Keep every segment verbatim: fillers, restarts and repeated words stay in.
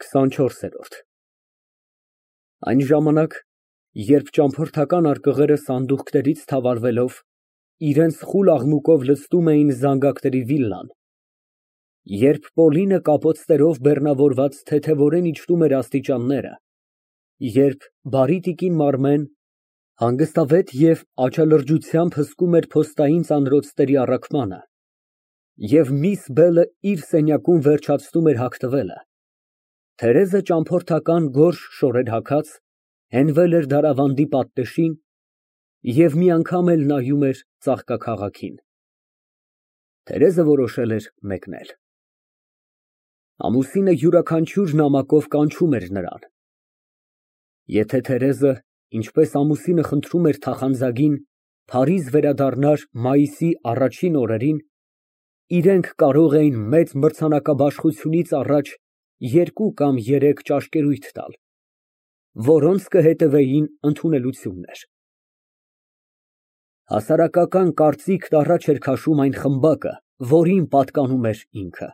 քսանչորս։ Այն ժամանակ, երբ ճամփորդական արկղերը սանդուղքներից թավալվելով, իրենց խուլ աղմուկով լցնում էին զանգակների վիլլան, երբ Պոլինը կապոցներով բեռնավորված թեթևորեն իջնում էր աստիճանները, երբ բարի տիկին Մարմեն հանգստավետ և աչալրջությամբ հսկում էր փոստային ծանրոցների առաքմանը, և միս Բելը իր սենյակում վերջացնում էր հագնվելը, Թերեզը ճամփորդական գորշ շորեր հագած, հենվել էր դարավանդի պատնեշին և մի անգամ էլ նայում էր ծաղկաքաղաքին։ Թերեզը որոշել էր մեկնել։ Ամուսինը յուրաքանչյուր նամակով կանչում էր նրան։ Եթե Թերեզը, ինչպես ամուսինը խնդրում էր թախանձագին, Փարիզ վերադառնար մայիսի առաջին օրերին, իրենք կարող էին մեծ մրցանակաբաշխությունից առաջ երկու կամ երեք ճաշկերույթ տալ, որոնց կհետևեին ընդունելություններ։ Հասարակական կարծիքն առաջ էր քաշում այն խմբակը, որին պատկանում էր ինքը։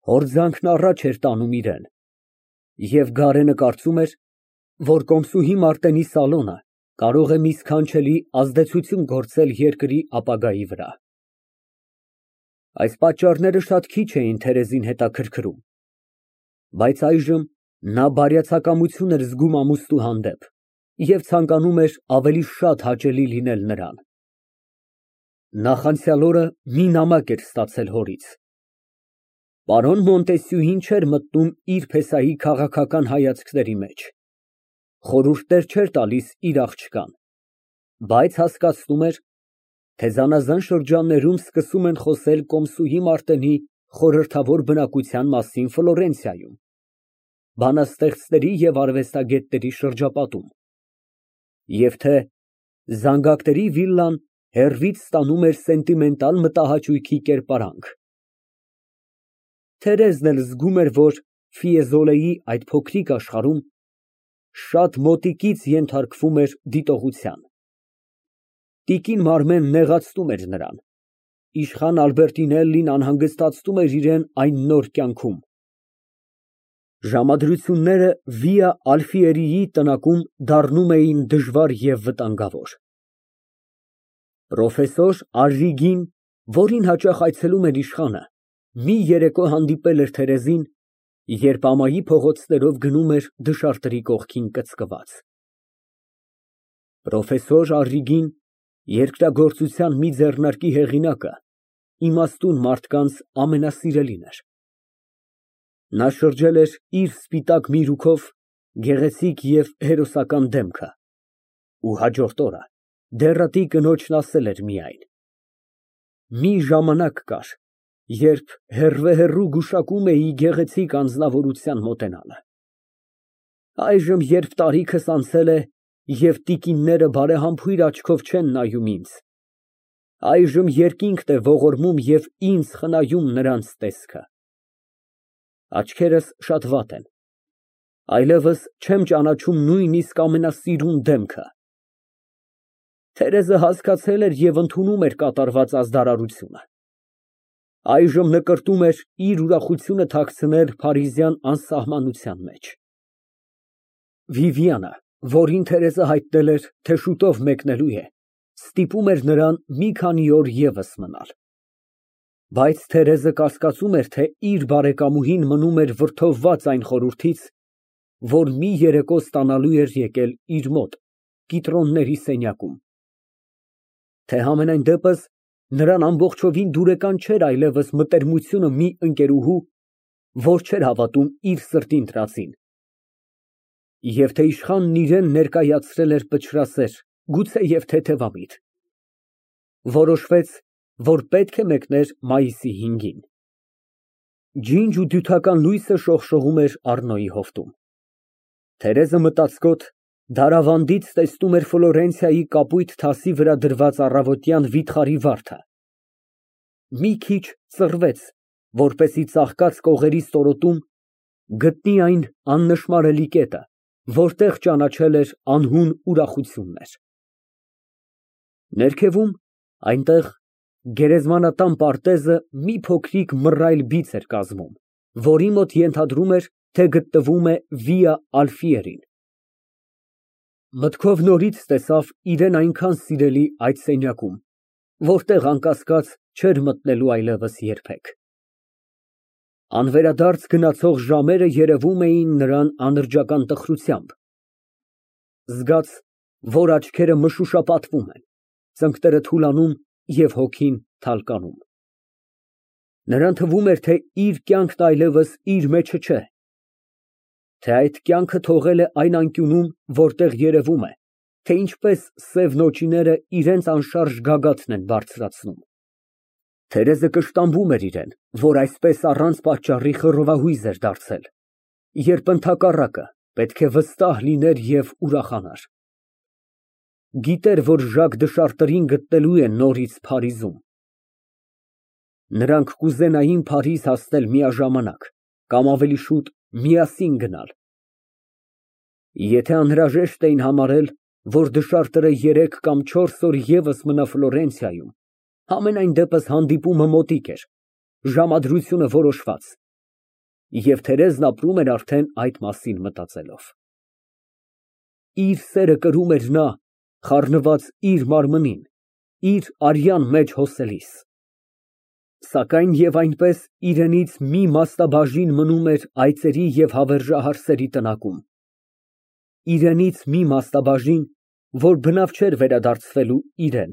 Հորձանքն առաջ էր տանում իրան, և Գարենը կարծում էր, որ կոմսուհի Մարտենի սալոնը կարող է մի սքանչելի ազդեցություն գործել երկրի ապագայի վրա։ Այս պատճառները շատ քիչ էին Թերեզին հետաքրքրում, բայց այժմ նա բարյացակամություն էր զգում ամուսնու հանդեպ և ցանկանում էր ավելի շատ հաճելի լինել նրան։ Նախանցյալ օրը մի նամակ էր ստացել հորից։ Պարոն Մոնտեսյուին չէր մտնում իր փեսայի քաղաքական հայացքների մեջ, խորհուրդներ չէր տալիս իր աղջկան, բայց հասկացնում էր, թե զանազան շրջաններում սկսում են խոսել կոմսուհի Մարտենի խորհրդավոր բնակության մասին Ֆլորենցիայում, բանաստեղծների և արվեստագետների շրջապատում, և թե զանգակների վիլլան հեռվից ստանում էր սենտիմենտալ մտահաճույքի կերպարանք։ Թերեզն էլ զգում էր, որ Ֆիեզոլեի այդ փոքրիկ աշխարհում շատ մոտիկից ենթարկվում էր դիտողության։ Տիկին Մարմեն նեղացնում էր նրան, իշխան Ալբերտինելլին անհանգստացնում էր իրան այն նոր կյանքում։ Ժամադրությունները Վիա Ալֆիերիի տնակում դառնում էին դժվար և վտանգավոր։ Պրոֆեսոր Առրիգին, որին հաճախ այցելում էր իշխանը, մի երեկո հանդիպել էր Թերեզին, երբ ամայի փողոցներով գնում էր դշարտերի կողքին կծկված։ Պրոֆեսոր Առրիգին, երկրագործության մի ձեռնարկի հեղինակը, իմաստուն մարդկանց ամենասիրելին էր։ Նա շրջել էր իր սպիտակ միրուքով գեղեցիկ և հերոսական դեմքը, ու հաջորդ օրը դեռատի կնոջն ասել էր միայն. «Մի ժամանակ կար, երբ հեռվեհեռու գուշակում էի գեղեցիկ անձնավորության մոտենալը։ Այժմ, երբ տարիքս անցել է և տիկինները բարեհամբույր աչքով չեն նայում ինձ, այժմ երկինքն է ողորմում և ինձ խնայում նրանց տեսքը։ Աչքերս շատ վատ են, այլևս չեմ ճանաչում նույնիսկ ամենասիրուն դեմքը»։ Թերեզը հասկացել էր և ընդունում էր կատարված ազդարարությունը։ Այժմ նկրտում էր իր ուրախությունը թաքցնել փարիզյան անսահմանության մեջ։ Վիվիանը, որին Թերեզը հայտնել էր, թե շուտով մեկնելու է, ստիպում էր նրան մի քանի օր ևս մնալ։ Բայց Թերեզը կասկածում էր, թե իր բարեկամուհին մնում էր վրդովված այն խորհրդից, որ մի երեկո ստանալու էր եկել իր մոտ, կիտրոնների սենյակում, թե համենայն դեպս նրան ամբողջովին դուրեկան չէր այլևս մտերմությունը մի ընկերուհու, որ չէր հավատում իր սրտի ընտրածին, և թե իշխանն իրան ներկայացրել էր պճրասեր, գուցեև թեթևամիտ։ Որոշվեց, որ պետք է մեկներ մայիսի հինգին։ Ջինջ ու դյութական լույսը շողշողում էր Առնոյի հովտում։ Թերեզը մտածկոտ դարավանդից տեսնում էր Ֆլորենցիայի կապույտ թասի վրա դրված առավոտյան վիթխարի վարդը, մի քիչ ծռվեց, որպեսզի ծաղկած կողերի ստորոտում գտնի այն աննշմարելի կետը, որտեղ ճանաչել էր անհուն ուրախություններ։ Ներքևում, այնտեղ, գերեզմանատան պարտեզը մի փոքրիկ մռայլ բիծ էր կազմում, որի մոտ ենթադրում էր, թե գտնվում է Վիա Ալֆիերին։ Մտքով նորից տեսավ իրան այնքան սիրելի այդ սենյակում, որտեղ անկասկած չէր մտնելու այլևս երբեք։ Անվերադարձ գնացող ժամերը երևում էին նրան անրջական տխրությամբ, զգաց, որ աչքերը մշուշապատվում են, ծնկները թուլանում և հոգին թալկանում։ Նրան թվում էր, թե իր կյանքն այլևս իր մեջը չէ, թե այդ կյանքը թողել է այն անկյունում, որտեղ երևում է, թե ինչպես սև նոճիները իրենց անշարժ գագաթն են բարձրացնում։ Թերեզը կշտամբում էր իրան, որ այսպես առանց պատճառի խռովահույզ էր դարձել, երբ ընդհակառակը պետք է վստահ լիներ և ուրախանար։ Գիտեր, որ Ժակ դշարտերին գտնելու է նորից Փարիզում։ Նրանք կուզենային Փարիզ հասնել միաժամանակ, կամ ավելի շուտ միասին գնալ։ Եթե անհրաժեշտ էին համարել, որ դշարտերը երեք կամ չորս օր ևս մնա Ֆլորենցիայում, համենայն դեպս հանդիպումը մոտիկ էր, ժամադրությունը որոշված, և Թերեզն ապրում էր արդեն այդ մասին մտածելով։ Իր սերը կրում էր նա, խառնված իր մարմնին, իր արյան մեջ հոսելիս։ Սակայն և այնպես իրենից մի մասնաբաժին մնում էր այծերի և հավերժահար սերի տնակում, իրենից մի մասնաբաժին, որ բնավ չէր վերադարձվելու իրան։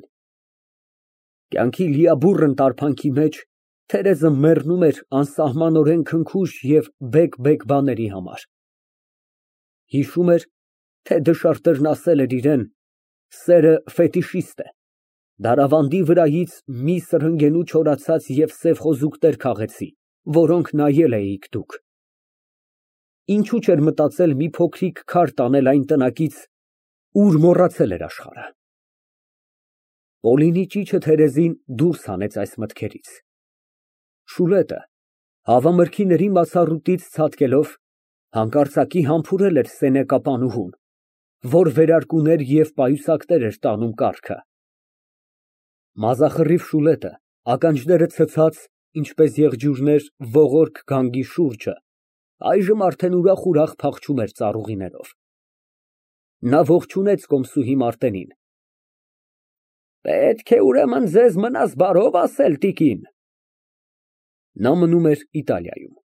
Կյանքի լիաբուռն տարփանքի մեջ Թերեզը մեռնում էր անսահմանորեն քնքուշ և բեկ֊բեկ բաների համար։ Հիշում էր, թե դշարտերն ասել էր իրան. «Սերը ֆետիշիստ է, դարավանդի վրայից մի սրհնգենու չորացած և սև խոզուկներ քաղեցի, որոնք նայել էիք դուք»։ Ինչու չէր մտածել մի փոքրիկ քար տանել այն տնակից, ուր մոռացել էր աշխարհը։ Պոլինի ճիչը Թերեզին դուրս հանեց այս մտքերից։ Շուլետը, հավամրգիների մացառուտից ցատկելով, հանկարծակի համբուրել էր սենյակապանուհուն, որ վերարկուներ և պայուսակներ էր տանում կառքը։ Մազախռիվ Շուլետը, ականջները ցցած, ինչպես եղջյուրներ, ողորկ գանգի շուրջը, այժմ արդեն ուրախ֊ուրախ փախչում էր ծառուղիներով։ Նա ողջունեց կոմսուհի Մարտենին։ Պետք է ուրեմն ձեզ մնաս բարով ասել, տիկին։ Նա մնում էր Իտալիայում։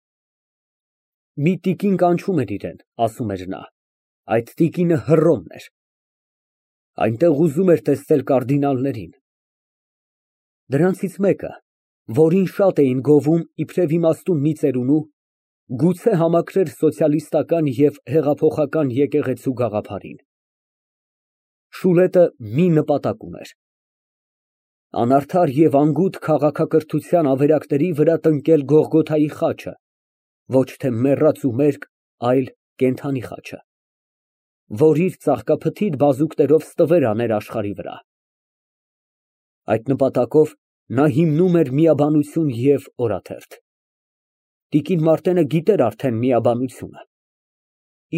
Մի տիկին կանչում էր իրան, ասում էր նա, այդ տիկինը Հռոմն էր։ Այնտեղ ուզում էր տեսնել կարդինալներին։ Դրանցից մեկը, որին շատ էին գովում իբրև իմաստուն մի ծերունու, գուցե համակրեր սոցիալիստական և հեղափոխական եկեղեցու գաղափարին։ Շուլետը մի նպատակ ուներ. անարդար և անգութ քաղաքակրթության ավերակների վրա տնկել Գողգոթայի խաչը, ոչ թե մեռած ու մերկ, այլ կենդանի խաչը, որ իր ծաղկափթիթ բազուկներով ստվեր աներ աշխարհի վրա։ Այդ նպատակով նա հիմնում էր միաբանություն և օրաթերթ։ Տիկին Մարտենը գիտեր արդեն միաբանությունը,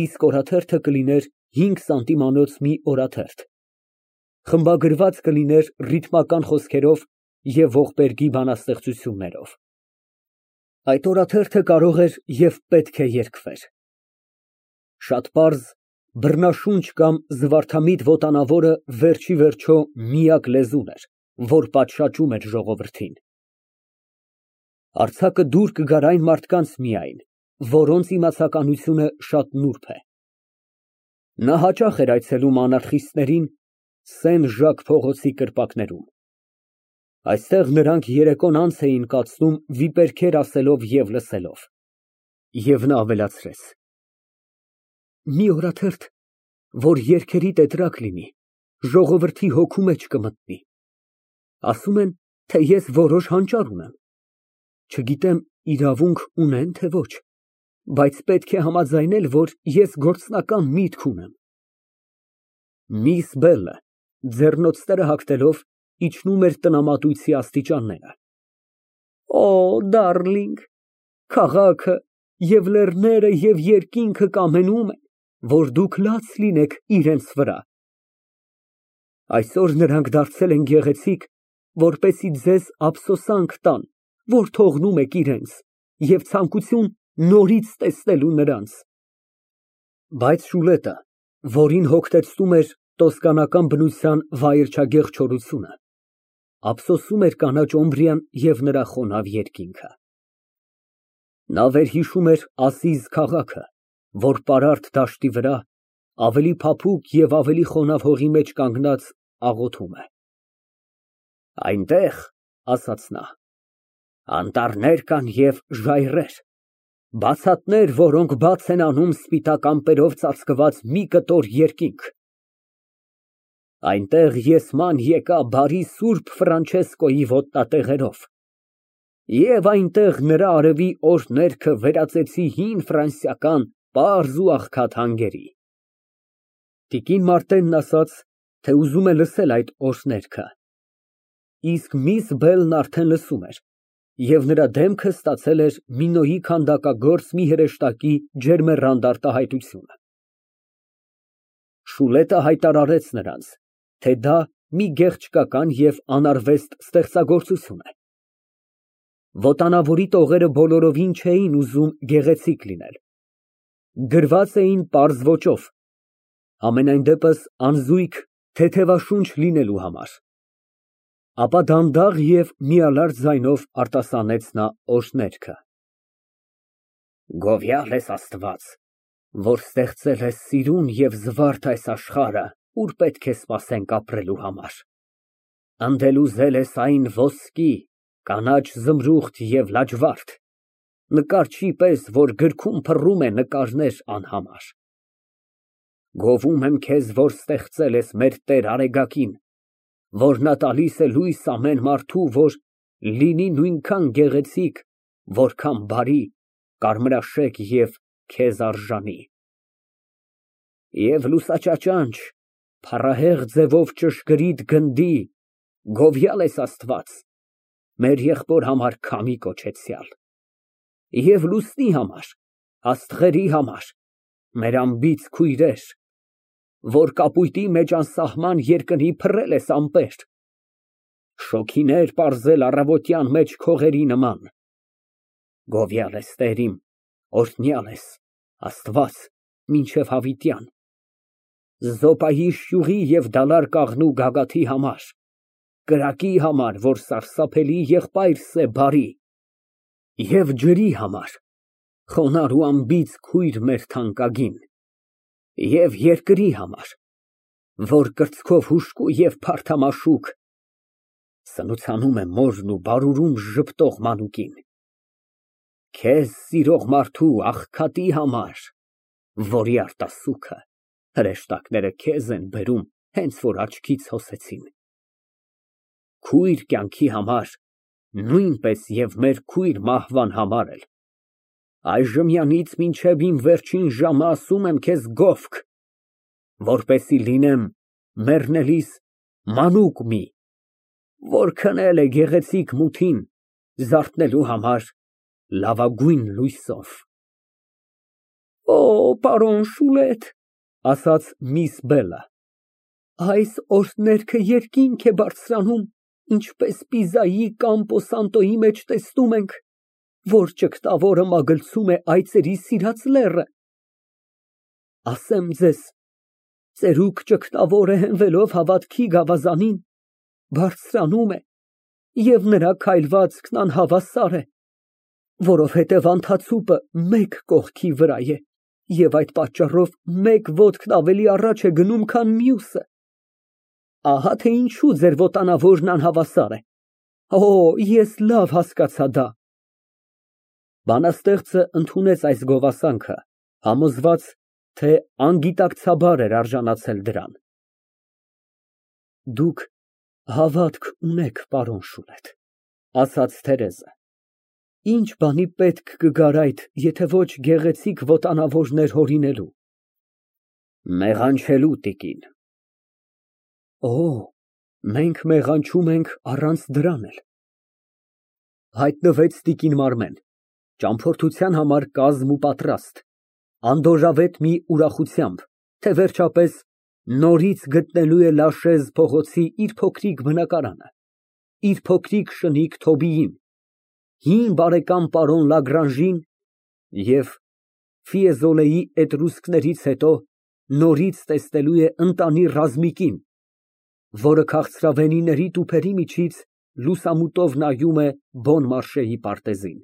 իսկ օրաթերթը կլիներ հինգ սանտիմանոց մի օրաթերթ, խմբագրված կլիներ ռիթմական խոսքերով և Ողբերգի բանաստեղծություններով։ Այդ օրաթերթը կարող էր և պետք է երգվեր։ Շատ պարզ, բռնաշունչ կամ զվարթամիտ ոտանավորը վերջ ի վերջո միակ լեզուն էր, որ պատշաճում էր ժողովրդին։ Արձակը դուր կգար այն մարդկանց միայն, որոնց իմացականությունը շատ նուրբ է։ Նա հաճախ էր այցելում անարխիստներին Սեն֊Ժակ փողոցի կրպակներում։ Այստեղ նրանք երեկոն անց էին կացնում վիպերքեր ասելով և լսելով։ Եվ նա ավելացրեց. մի օրաթերթ, որ երգերի տետրակ լինի, ժողովրդի հոգու մեջ կմտնի։ Ասում են, թե ես որոշ հանճար ունեմ։ Չգիտեմ իրավունք ունեն, թե ոչ, բայց պետք է համաձայնել, որ ես գործնական միտք ունեմ։ Միս Բելը, ձեռնոցները հագնելով, իջնում էր տնամատույցի աստիճանները։ Օ, դարլինգ, քաղաքը և լեռները և երկինքը կամենում են, որ դուք լաց լինեք իրենց վրա։ Այսօր նրանք դարձել են գեղեցիկ, որպեսզի ձեզ ափսոսանք տան, որ թողնում եք իրենց, և ցանկություն նորից տեսնելու նրանց։ Բայց Շուլետը, որին հոգնեցնում էր տոսկանական բնության վայրչագեղ չորությունը, ափսոսում էր կանաչ Օմբրիան և նրա խոնավ երկինքը։ Նա վերհիշում էր Ասիզ քաղաքը, որ պարարտ դաշտի վրա, ավելի փափուկ և ավելի խոնավ հողի մեջ կանգնած, աղոթում է։ Այնտեղ, ասաց նա, անտառներ կան և ժայռեր, բացատներ, որոնք բաց են անում սպիտակ ամպերով ծածկված մի կտոր երկինք։ Այնտեղ ես ման եկա բարի սուրբ Ֆրանչեսկոյի ոտնատեղերով, և այնտեղ նրա արևի օրհներգը վերածեցի հին ֆրանսիական պարզ ու աղքատ հանգերի։ Տիկին Մարտենն ասաց, թե ուզում է լսել այդ օրհներգը, իսկ միս Բելն արդեն լսում էր, և նրա դեմքը ստացել էր Մինոյի քանդակագործ մի հրեշտակի ջերմեռանդ արտահայտությունը։ Շուլետը հայտարարեց նրանց, թե դա մի գեղեցկական և անարվեստ ստեղծագործություն է։ Վոտանավորի տողերը բոլորովին չէին ուզում գեղեցիկ լինել, գրված էին պարզ ոճով, համենայն դեպս անզույգ, թեթևաշունչ լինելու համար։ Ապա դանդաղ և միալար ձայնով արտասանեց նա օրհներգը. Գովյալ ես Աստված, որ ստեղծել ես սիրուն և զվարթ այս աշխարհը, ուր պետք է սպասենք ապրելու համար, ընդ էլ ուզել ես այն ոսկի, կանաչ զմրուխտ և լաջվարդ, նկարչի պես, որ գրքում փռում է նկարներ անհամար։ Գովում եմ քեզ, որ ստեղծել ես մեր Տեր Արեգակին, որ նա տալիս է լույս ամեն մարդու, որ լինի նույնքան գեղեցիկ, որքան բարի, կարմրաշեկ և քեզ արժանի։ Եվ լուսաճաճանճ, փառահեղ ձևով ճշգրիտ գնդի, գովյալ ես Աստված, մեր եղբոր համար քամի կոչեցյալ, և լուսնի համար, աստղերի համար, մեր անբիծ քույրեր, որ կապույտի մեջ անսահման երկնի փռել ես ամպեր, շոգիներ պարզել առավոտյան մեջ քողերի նման, գովյալ ես Տեր իմ, օրհնյալ ես, Աստված, մինչև հավիտյան, Զոպայի շյուղի և դալար կաղնու գագաթի համար, կրակի համար, որ սարսափելի եղբայրս է բարի, և ջրի համար, խոնարհ ու անբիծ քույր մեր թանկագին, և երկրի համար, որ կրծքով հուժկու և փարթամաշուկ, սնուցանում է մորն ու բարուրում ժպտող մանուկին, քեզ սիրող մարդու աղքատի համար, որի արտասուքը հրեշտակները քեզ են բերում, հենց որ աչքից հոսեցին, քույր կյանքի համար, նույնպես և մեր քույր մահվան համար էլ, այժմյանից մինչև իմ վերջին ժամը ասում եմ քեզ գովք, որպեսզի լինեմ մեռնելիս մանուկ մի, որ քնել է գեղեցիկ մութին, զարթնելու համար լավագույն լույսով։ Օ, պարոն Շուլետ, ասաց միս Բելը, այս օրհներգը երկինք է բարձրանում, ինչպես Պիզայի Կամպո Սանտոյի մեջ տեսնում ենք, որ ճգտավորը մագլցում է այծերի սիրած լեռը։ Ասեմ ձեզ, ծերուկ ճգտավորը հենվելով հավատքի գավազանին, բարձրանում է, և նրա քայլվածքն անհավասար է, որովհետև անթացուպը մեկ կողքի վրա է, և այդ պատճառով մեկ ոտքն ավելի առաջ է գնում, քան մյուսը։ Ահա թե ինչու ձեր վոտանավորն անհավասար է։ Օ, ես լավ հասկացա դա։ Բանաստեղծը ընդունեց այս գովասանքը, համոզված, թե անգիտակցաբար էր արժանացել դրան։ Դուք հավատք ունեք, պարոն Շուլետ, ասաց Թերեզը, ինչ բանի պետք կգար այդ, եթե ոչ գեղեցիկ վոտանավորներ հորինելու։ Մեղանչելու, տիկին։ Օ, մենք մեղանչում ենք առանց դրան էլ։ Հայտնվեց տիկին Մարմեն, ճամփորդության համար կազմ ու պատրաստ, անդորրավետ մի ուրախությամբ, թե վերջապես նորից գտնելու է Լաշեզ փողոցի իր փոքրիկ բնակարանը, իր փոքրիկ շնիկ Թոբիին, հին բարեկամ պարոն Լագրանժին Եվ Ֆիեզոլեի էտրուսկներից հետո նորից տեսնելու է ընտանի ռազմիկին, որը քաղցրավենիների տուփերի միջից լուսամուտով նայում է Բոն Մարշեի պարտեզին։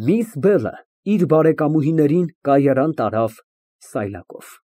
Միս Բելը իր բարեկամուհիներին կայարան տարավ սայլակով։